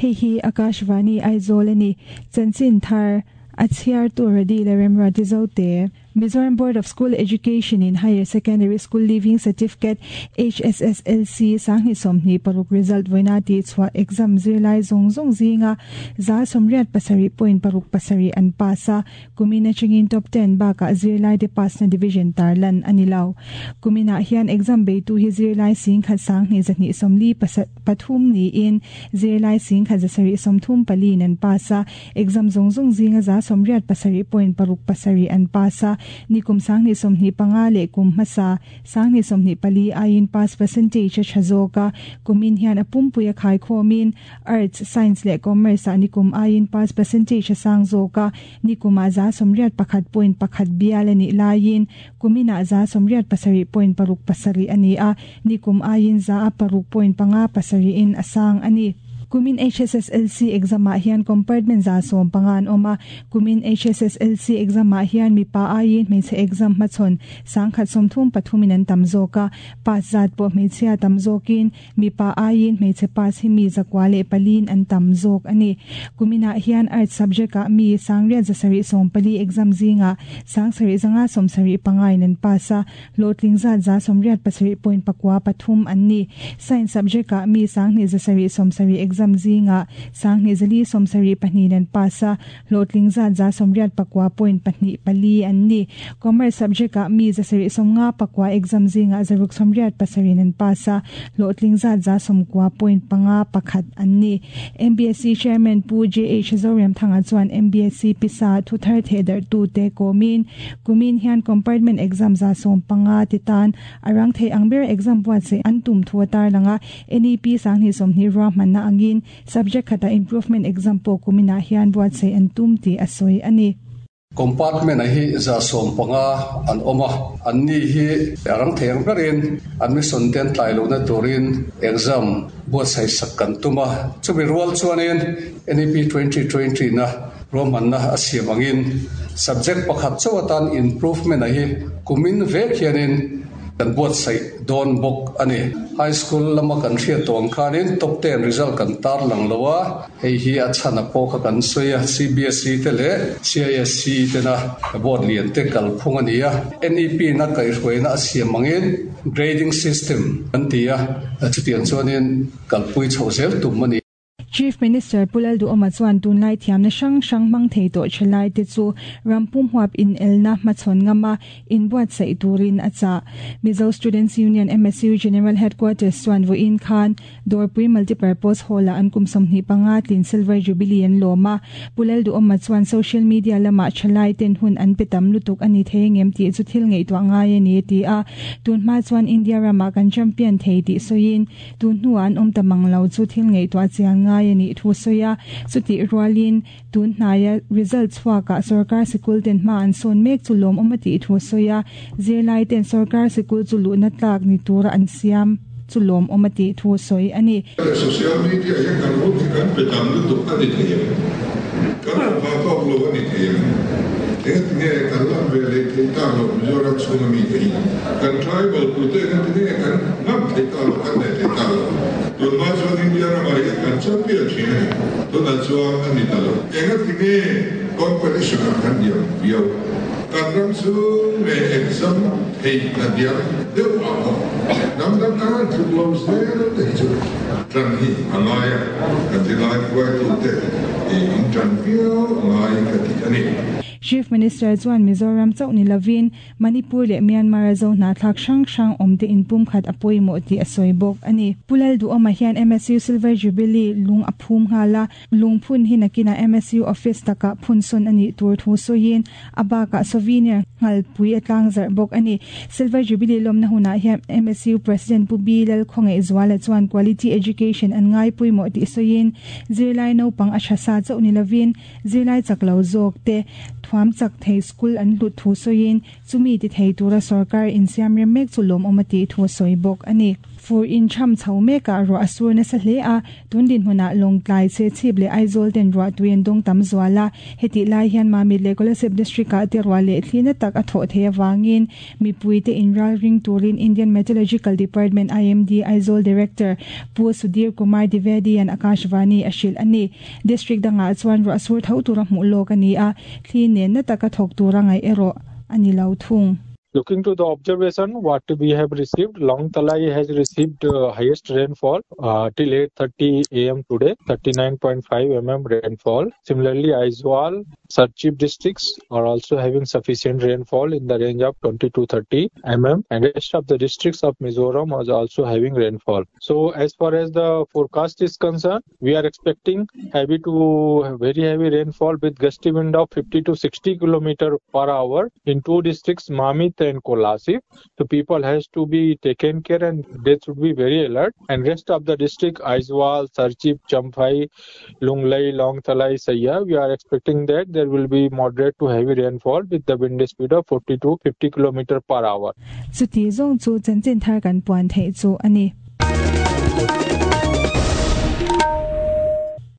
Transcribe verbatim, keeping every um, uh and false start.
Hei hi Akashvani Aizawl ani. Chanchin thar a chhiar tu Radi le Remruati Zote. Mizoram Board of School Education in Higher Secondary School Leaving Certificate H S S L C sanghnih sawmhnih paruk result vawiina tih chhuah exam zirlai zawng zawng zinga za sawmriat pasarih point paruk pasarih an pass a. Kumin atangin top ten bakah zirlai te pass na division tarlan ani lo. Kuminah hian exam beitu hi zirlai singkhat sanghnih zahnih sawmli pathum niin zirlai singkhat zasarih sawmthum pali an pass a. Exam zawng zawng zinga za sawmriat pasarih point paruk pasarih an pass a. Nikum sanghnih sawmhnih panga leh kum hmasa sanghnih sawmhnih pali aiin pass percentage a tha zawk a. Kumin hian a pumpui a khaikhawmin arts, science leh commerce ah nikum aiin pass percentage a sang zawk a. Nikuma za sawmriat pakhat point pakhat bial ani laiin kumina za sawmriat pasarih point paruk pasarih ani a. Nikum aiin za a paruk point panga pasarih in a sang ani. Kumin H S S L C exam ah hian compartment za sawm panga an awm a. Kumin H S S L C exam ah hian mipa aiin hmeichhe exam hmachhawn sangkhat sawmthum pathumin an tam zawk a. Pass zat pawh hmeichhia tam zawkin mipa aiin hmeichhe pass hi mi zakua leh palin an tam zawk ani. Kuminah hian arts subject ah mi sangriat zasarih sawm pali exam zinga sangsarih zanga sawmsarih pangain an pass a. Hlawhtling zat za sawmriat pasarih point pakua pathum an ni. Science subject ah mi sanghnih zasarih sawmsarih exam zinga sanghnih zali sawmsarih pahnih an pass a. Hlawhtling zat za sawmriat pakua point pahnih pali an ni. Commerce subject ah mi zasarih sawmnga pakua exam zinga zaruk sawmriat pasarih an pass a. Hlawhtling zat za sawmkua point panga pakhat an ni. M B S C Chairman Pu J H Zoramthanga chuan M B S C pisa thuthar thehdarh tu te kawmin kumin hian compartment exam za sawm panga ti tan arang thei ang ber exam buatsaih an tum thu a tarlang a. N E P sanghnih sawmhnih ruahmanna angin subject khata improvement exam pawh kuminah hian buatsaih an tum tih a sawi ani. Compartment a hi za sawm panga an awm a. An ni hi arang thei ang berin admission ten tlai lo na turin exam buatsaih sak kan tum a. Chumi rual chuanin N E P twenty twenty na ruahmanna a siam angin subject pakhat chawatan improvement a hi kumin vek hianin kan buatsaih dawn bawk ani. High school lama kan hriat tawng khanin top ten result kan tar lang lowa. Hei hi a chhana pawh kha kan sawi a. C B S E te leh C I S C te na board lian te kal phung ani a. N E P na kaihhruaina a siam angin grading system an ti a. Chutiang chuanin kalpui chho zel tum ani. Chief Minister Pu Lalduhoma chuan tunlai thiamna hrang hrang hmang thei tawh thalai te chu rampum huap in elna hmachhawn ngama in buatsaih turin a chah. Mizo Students Union M S U General Headquarters chuan vawiin khan Dawrpui Multipurpose Hall ah an kum sawmhnih panga tlin Silver Jubilee an lawm a. Pu Lalduhoma chuan social media lama thalai ten hun an pe tam lutuk ani thei ngem tih chu thil ngaihtuah ngai ani ti a. Tun hma chuan India rama kan champion thei tih sawiin tun hnuah an awm ta mang lo chu thil ngaihtuah chian ngai ani thu sawi a. Chuti rualin tun hnaia result chhuakah sarkar sikul ten hma an sawn mek chu lawm awm a tih thu sawi a. Zirlai ten sarkar sikul chu luhna tlak ni tura an siam chu lawm awm a tih thu sawi ani. Social media hian kan hun hi kan pe tam lutuk ani thei em? Kan va tawk lo ani thei em? Eng nge kan lam ve leh thei ta lo Mizoram chhunga mi te hi? Kan tribal pui te kan ti nge kan ngam thei ta lo, kan nei thei ta lo? Tun ma chuan India ramah hian kan champion thin ani. Tunah chuan ani ta lo. Enga ti nge competition ah kan diam viau? Kan ram chu nge exam thei na diam deuh a pawh nam dang kan tluk lo zel te hi chu tran hi a ngai a. Kan zirlai hruaitu te in tran viau a ngai ka ti ani. Chief Minister chuan Mizoram chauh ni lovin Manipur leh Myanmar a zo hnahthlak hrang hrang awm te in pum khat a pawimawh tih a sawi bawk ani. Pu Lalduhoma hian M S U Silver Jubilee lung a phum nghal a. Lungphun hi nakina M S U office takah phun sawn ani tur thu sawiin a bakah souvenir nghalpui a tlang zarh bawk ani. Silver Jubilee lawmna hunah hian M S U President Pu B Lalkhawngaihzuala chuan quality education an ngai pawimawh tih sawiin zirlai naupang a tha sa chauh ni lovin zirlai chak lo zawk te Thuam chak thei school an hlut thu sawiin chumi ti thei tura sorkar insiam rem mek chu lawmawm a tih thu a sawi bawk a ni. Fur in tham chho mekah ruah a sur nasa hle a, tun dinhmunah Lawngtlai, Chhechhip leh Aizawl ten ruah tui an dawng tam zual a, hetih lai hian Mamit leh Kolasib district ah te ruah leh thli na tak a thawh theih avangin mipui te inral ring turin Indian Meteorological Department, I M D, Aizawl Director Pu Sudhir Kumar Dwivedi an Akashvani a hrilh a ni. District dangah chuan ruah sur tho tura hmuh lawk a ni a, thli nen na taka thawk tura ngaih erawh a ni lo thung. Looking to the observation, what we have received, Lawngtlai has received uh, highest rainfall uh, till eight thirty a m today, thirty-nine point five millimeters rainfall. Similarly, Aizawl, Serchhip districts are also having sufficient rainfall in the range of twenty to thirty millimeters, and rest of the districts of Mizoram was also having rainfall. So, as far as the forecast is concerned, we are expecting heavy to very heavy rainfall with gusty wind of fifty to sixty kilometer per hour in two districts, Mamit and Kolasib. So people has to be taken care and they should be very alert. And rest of the district, Aizawl, Serchhip, Champhai, Lunglei, Lawngtlai, Saiha, we are expecting that there will be moderate to heavy rainfall with the wind speed of forty to fifty kilometer per hour. Chuti zawng chu chanchin thar kan puan theih chu a ni.